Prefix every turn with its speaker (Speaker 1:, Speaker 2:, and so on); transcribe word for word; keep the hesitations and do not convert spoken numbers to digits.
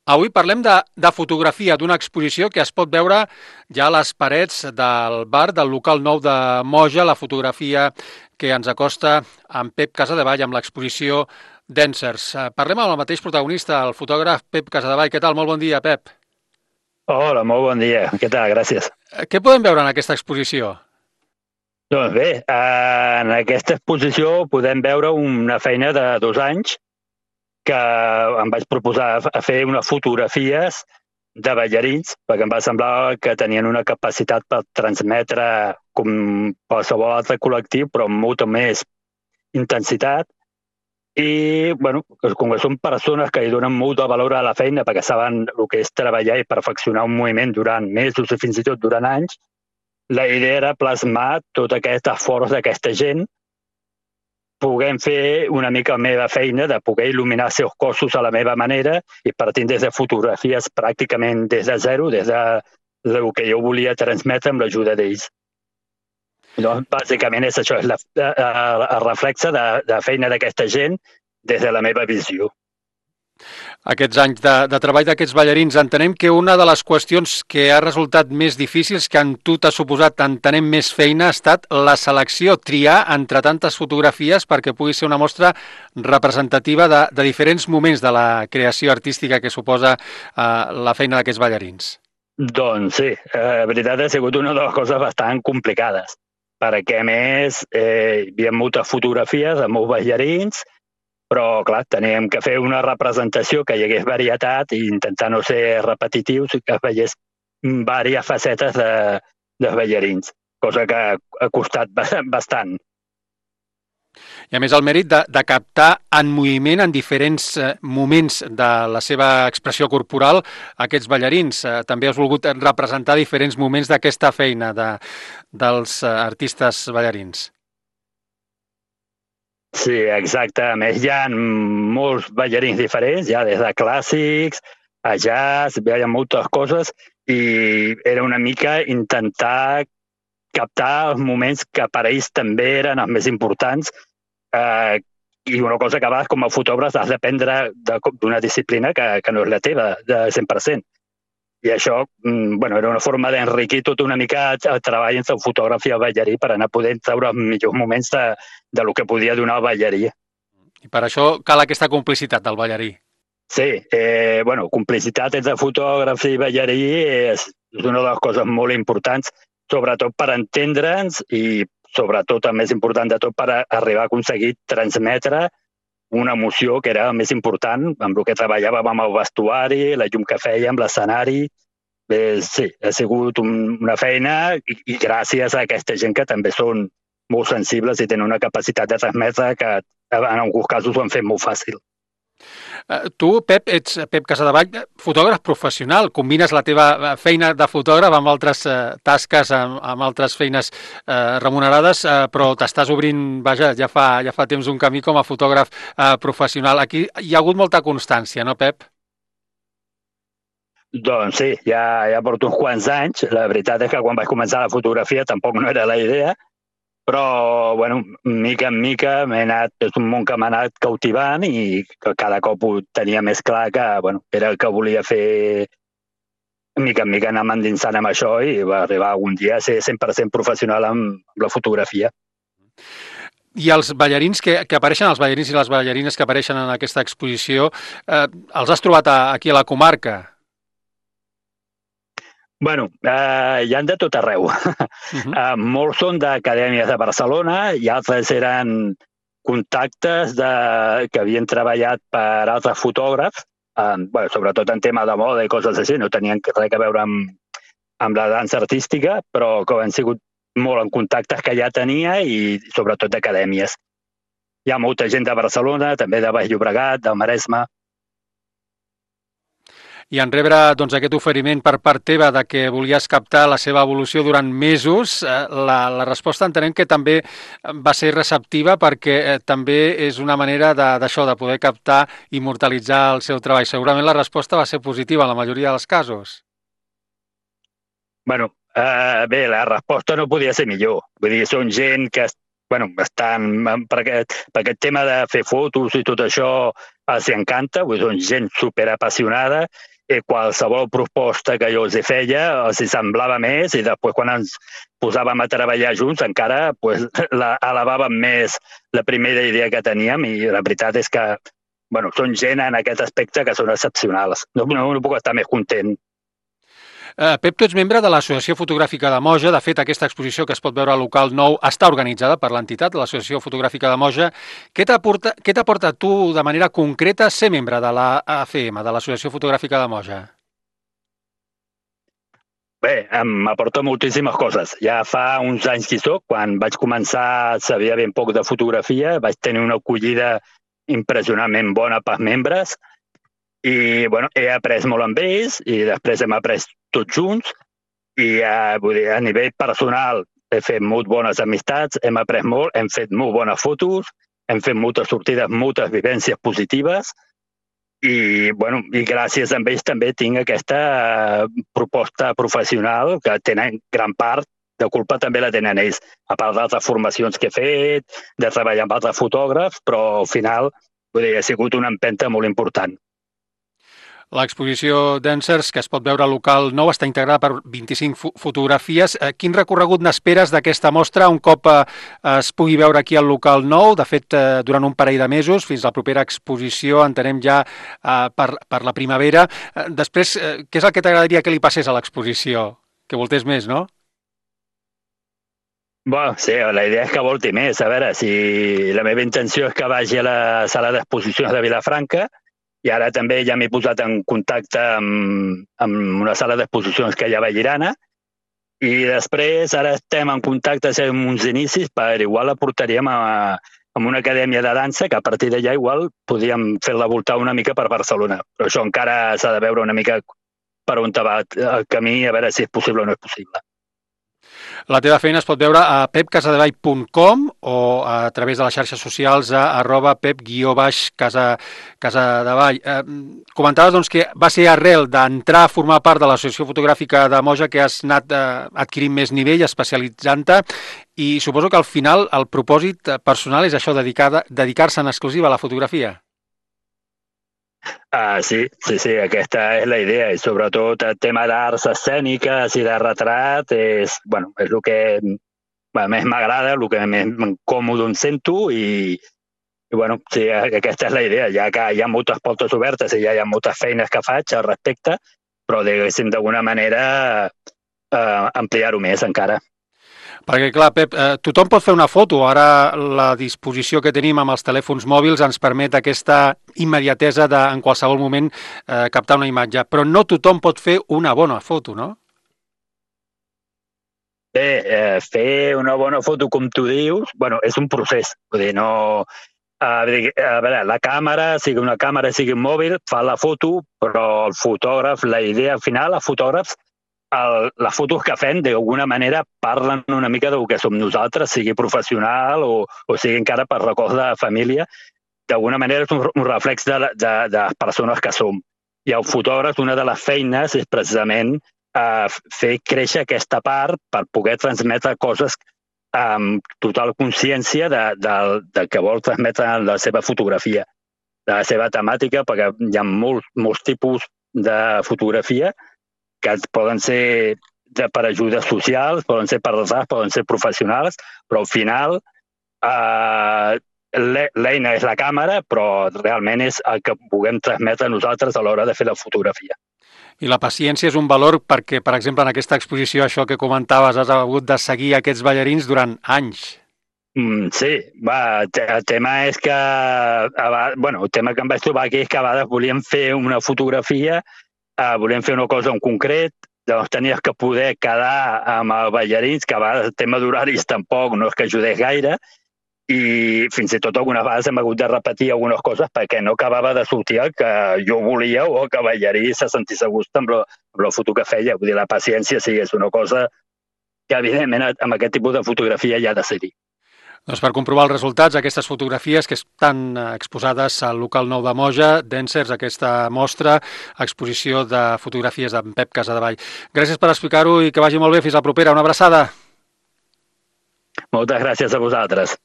Speaker 1: Avui parlem de, de fotografia, d'una exposició que es pot veure ja a les parets del bar del local nou de Moja, la fotografia que ens acosta amb Pep Casadevall amb l'exposició Dancers. Eh, Parlem amb el mateix protagonista, el fotògraf Pep Casadevall. Què tal? Molt bon dia, Pep.
Speaker 2: Hola, molt bon dia. Què tal? Gràcies.
Speaker 1: Eh, Què podem veure en aquesta exposició?
Speaker 2: Doncs bé, eh, en aquesta exposició podem veure una feina de dos anys que em vaig proposar a fer unes fotografies de ballarins, perquè em va semblar que tenien una capacitat per transmetre com qualsevol altre col·lectiu, però amb molta més intensitat. I, bueno, com que són persones que hi donen molt de valor a la feina perquè saben el que és treballar i perfeccionar un moviment durant mesos i fins i tot durant anys, la idea era plasmar tot aquest esforç d'aquesta gent, puguem fer una mica la meva feina de poder il·luminar els seus cossos a la meva manera i partint des de fotografies pràcticament des de zero, des de del que jo volia transmetre amb l'ajuda d'ells. Doncs, bàsicament és això, és la, el, el reflexe de, de feina d'aquesta gent des de la meva visió.
Speaker 1: Aquests anys de, de treball d'aquests ballarins, entenem que una de les qüestions que ha resultat més difícils, que en tu t'ha suposat entenem més feina, ha estat la selecció, triar entre tantes fotografies perquè pugui ser una mostra representativa de, de diferents moments de la creació artística que suposa eh, la feina d'aquests ballarins.
Speaker 2: Doncs sí, eh, la veritat ha sigut una de les coses bastant complicades, perquè a més eh, hi havia moltes fotografies de molts ballarins, però, clar, teníem que fer una representació que hi hagués varietat i intentar no ser repetitius i que es veiés diverses facetes de, dels ballarins, cosa que ha costat bastant.
Speaker 1: I a més el mèrit de, de captar en moviment en diferents eh, moments de la seva expressió corporal aquests ballarins. Eh, també has volgut representar diferents moments d'aquesta feina de, dels eh, artistes ballarins.
Speaker 2: Sí, exacte. A més, hi ha molts ballarins diferents, ja des de clàssics a jazz, hi ha moltes coses, i era una mica intentar captar els moments que per a ells també eren els més importants, eh, i una cosa que a vegades com a fotògraf has d'aprendre d'una disciplina que, que no és la teva, de cent per cent. I això, bueno, era una forma d'enriquir tot una mica el treball entre el fotògraf i el ballarí per anar podent treure els millors moments de, de lo que podia donar el ballarí.
Speaker 1: I per això cal aquesta complicitat del ballarí.
Speaker 2: Sí, eh, bueno, complicitat entre fotògraf i ballarí és una de les coses molt importants, sobretot per entendre'ns i sobretot el més important de tot per arribar a aconseguir transmetre una emoció que era el més important, amb el que treballàvem amb el vestuari, la llum que fèiem, l'escenari. Eh, sí, ha sigut un, una feina i, i gràcies a aquesta gent que també són molt sensibles i tenen una capacitat de transmetre que en alguns casos ho han fet molt fàcil.
Speaker 1: Uh, tu, Pep, ets Pep Casadevall, fotògraf professional, combines la teva feina de fotògraf amb altres uh, tasques, amb, amb altres feines uh, remunerades, uh, però t'estàs obrint, vaja, ja fa, ja fa temps un camí com a fotògraf uh, professional. Aquí hi ha hagut molta constància, no, Pep?
Speaker 2: Doncs sí, ja, ja porto uns quants anys. La veritat és que quan vaig començar la fotografia tampoc no era la idea, però, bueno, mica en mica m'he anat, és un món que m'ha anat cautivant i que cada cop ho tenia més clar que, bueno, era el que volia fer, mica en mica anar endinsant amb això i va arribar un dia a ser cent per cent professional amb la fotografia.
Speaker 1: I els ballarins que, que apareixen, els ballarins i les ballarines que apareixen en aquesta exposició, eh, els has trobat a, aquí a la comarca?
Speaker 2: Bueno, eh, hi han de tot arreu. Uh-huh. eh, molts són d'acadèmies de Barcelona i altres eren contactes de, que havien treballat per altres fotògrafs, eh, bueno, sobretot en tema de moda i coses així, no tenien res a veure amb, amb la dansa artística, però que han sigut molt en contactes que ja tenia i sobretot d'acadèmies. Hi ha molta gent de Barcelona, també de Baix Llobregat, del Maresme.
Speaker 1: I en rebre doncs, aquest oferiment per part teva de que volies captar la seva evolució durant mesos, eh, la, la resposta entenem que també va ser receptiva perquè eh, també és una manera d'això, de, de poder captar i immortalitzar el seu treball. Segurament la resposta va ser positiva en la majoria dels casos.
Speaker 2: Bueno, eh, bé, la resposta no podia ser millor. Vull dir, són gent que bueno, estan, per aquest, per aquest tema de fer fotos i tot això els encanta, vull dir, són gent superapassionada i qualsevol proposta que jo els hi feia els hi semblava més i després quan ens posàvem a treballar junts encara pues, la, elevàvem més la primera idea que teníem i la veritat és que bueno, són gent en aquest aspecte que són excepcionals. No, no, no puc estar més content.
Speaker 1: Uh, Pep, tu ets membre de l'Associació Fotogràfica de Moja. De fet, aquesta exposició que es pot veure al local nou està organitzada per l'entitat, l'Associació Fotogràfica de Moja. Què t'aporta, què t'aporta tu de manera concreta ser membre de la A F M, de l'Associació Fotogràfica de Moja?
Speaker 2: Bé, m'aporta moltíssimes coses. Ja fa uns anys que hi soc, quan vaig començar sabia ben poc de fotografia, vaig tenir una acollida impressionantment bona pels membres i bueno, he après molt amb ells i després hem après tots junts i eh, vull dir, a nivell personal he fet molt bones amistats, hem après molt, hem fet molt bones fotos, hem fet moltes sortides, moltes vivències positives i, bueno, i gràcies a ells també tinc aquesta eh, proposta professional que tenen gran part de culpa també la tenen ells, a part d'altres formacions que he fet, de treballar amb altres fotògrafs, però al final vull dir, ha sigut una empenta molt important.
Speaker 1: L'exposició Dancers, que es pot veure al local nou, està integrada per vint-i-cinc fo fotografies. Quin recorregut n'esperes d'aquesta mostra un cop eh, es pugui veure aquí al local nou? De fet, eh, durant un parell de mesos, fins a la propera exposició, entenem ja eh, per, per la primavera. Eh, després, eh, què és el que t'agradaria que li passés a l'exposició? Que voltés més, no?
Speaker 2: Bueno, sí, la idea és que volti més. A veure, si la meva intenció és que vagi a la sala d'exposicions de Vilafranca i ara també ja m'he posat en contacte amb, amb una sala d'exposicions que hi ha a Vallirana i després ara estem en contacte amb uns inicis per igual la portaríem a, a una acadèmia de dansa que a partir d'allà igual podíem fer-la voltar una mica per Barcelona. Però això encara s'ha de veure una mica per on va el camí, a veure si és possible o no és possible.
Speaker 1: La teva feina es pot veure a pep casadevall punt com o a través de les xarxes socials a arroba pep guió baix casadevall. Eh, comentaves doncs, que va ser arrel d'entrar a formar part de l'Associació Fotogràfica de Moja que has anat eh, adquirint més nivell, especialitzant-te, i suposo que al final el propòsit personal és això, dedicar-se en exclusiva a la fotografia.
Speaker 2: Ah, sí, sí, sí, aquesta és la idea i sobretot el tema d'arts escèniques i de retrat és, bueno, és el que bueno, més m'agrada, el que més còmode em sento i, i bueno, sí, aquesta és la idea, ja que hi ha moltes portes obertes i ja hi ha moltes feines que faig al respecte, però diguéssim d'alguna manera eh, ampliar-ho més encara.
Speaker 1: Perquè, clar, Pep, eh, tothom pot fer una foto. Ara la disposició que tenim amb els telèfons mòbils ens permet aquesta immediatesa de, en qualsevol moment, eh, captar una imatge. Però no tothom pot fer una bona foto, no?
Speaker 2: Bé, eh, fer una bona foto, com tu dius, bueno, és un procés. Vull dir, no... A veure, la càmera, sigui una càmera, sigui un mòbil, fa la foto, però el fotògraf, la idea final, els fotògrafs, El, les fotos que fem d'alguna manera parlen una mica del que som nosaltres, sigui professional o, o sigui encara per records de família. D'alguna manera és un, un reflex de, de, de les persones que som. I el fotògraf, una de les feines és precisament eh, fer créixer aquesta part per poder transmetre coses amb total consciència de, de, de que vol transmetre la seva fotografia, de la seva temàtica, perquè hi ha molts, molts tipus de fotografia que poden ser de, per ajudes socials, poden ser per desar, poden ser professionals, però al final eh, l'eina és la càmera, però realment és el que puguem transmetre nosaltres a l'hora de fer la fotografia.
Speaker 1: I la paciència és un valor perquè, per exemple, en aquesta exposició, això que comentaves, has hagut de seguir aquests ballarins durant anys.
Speaker 2: Mm, sí, va, el tema és que bueno, el tema que em vaig trobar aquí és que a vegades volíem fer una fotografia, Uh, volem fer una cosa en concret, doncs tenies que poder quedar amb els ballarins, que a vegades el tema d'horaris tampoc no és que ajudés gaire, i fins i tot algunes vegades hem hagut de repetir algunes coses perquè no acabava de sortir el que jo volia o que el ballarí se sentís a gust amb la, amb la foto que feia. Vull dir, la paciència sí, és una cosa que evidentment amb aquest tipus de fotografia ja ha de ser-hi.
Speaker 1: Doncs per comprovar els resultats, aquestes fotografies que estan exposades al local nou de Moja, Dancers, aquesta mostra, exposició de fotografies d'en Pep Casadevall. Gràcies per explicar-ho i que vagi molt bé. Fins la propera. Una abraçada.
Speaker 2: Moltes gràcies a vosaltres.